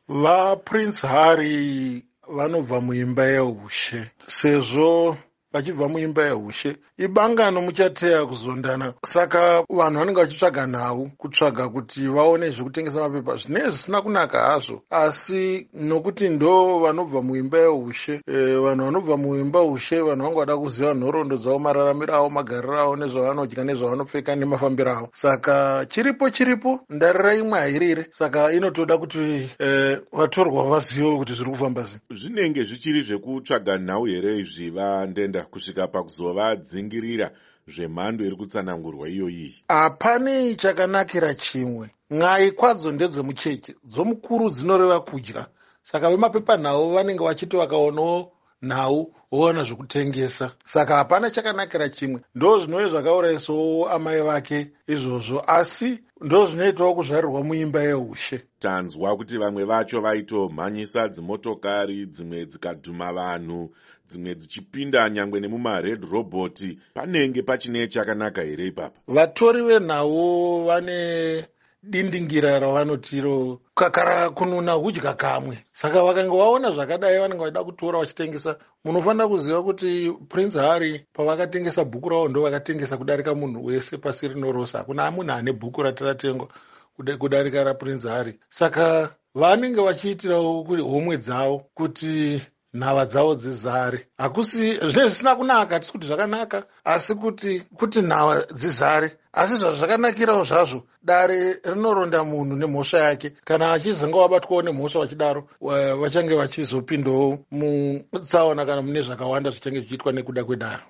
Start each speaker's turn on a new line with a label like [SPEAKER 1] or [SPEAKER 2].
[SPEAKER 1] VaPrince Harry vanobva muimba yeushe. Sezvo vachibva muimba yeushe, ibangano muchateya kuzondana. Saka vanhu vanenge vachitsvaga nhau, kutsvaga kuti vaone zvekutengesa mapepa, zvinenge zvisina kunaka hazvo, asi nokuti ndo vanobva muimba yeushe, vanhu vanobva muimba ushe, vanhu vanga vada kuziva nhoroondo dzavo, mararamiro avo, magariro avo, nezvavanodya, nezvavanopfeka, nemafambiro avo. Saka chiripo chiripo, ndarira imwe hairire. Saka inotoda kuti vatorwa vazive kuti zviri kufamba sei.
[SPEAKER 2] Zvinenge zvichiri zvekutsvaga nhau here izvi, vaNdenda, kusvika pakuzovadzingirira zvemhando iri kutsanangurwa iyoyi?
[SPEAKER 1] Hapanei chakanakira chimwe. N'ai kwadzo ndedzemucheche, dzomukuru dzinoreva kudya. Saka vemapepanhau vanenge vachiti vakaonawo nhau voona zvekutengesa. Saka hapana chakanakira chimwe. Ndo zvinove zvakaurayisawo amai vake izvozvo, asi ndo zvinoitawo kuzvarirwa muimba yeushe.
[SPEAKER 2] Tanzwa kuti vamwe vacho vaitomhanyisa dzimotokari, dzimwe dzikadhuma vanhu, dzimwe dzichipinda nyangwe nemumared robot. Panenge pachine chakanaka here ipapa?
[SPEAKER 1] Vatori venhau vane dindingira ravanotiro kakara kununa hudya kamwe. Saka vakange vaona zvakadai, vanenge vachida kutora vachitengesa. Munofanira kuziva kuti Prince Harry pavakatengesa bhuku ravo, ndo vakatengesa kudarika munhu wese pasi rino rose. Hakuna munhu ane bhuku rati ratengwa kudarika raPrince Harry. Saka vanenge vachiitirawo homwe dzavo kuti nhava dzavo dzizare. Hakusi zvinenge zvisina kunaka, hatisi kuti zvakanaka, asi kuti nhava dzizare. Asi zvazvakanakirawo zvazvo, dare rinoronda munhu nemhosva yake. Kana achizenge wabatwawo nemhosva vachidaro, vachange vachizopindawo mutsaona kana mune zvakawanda zvichange zvichiitwa nekuda kwedaro.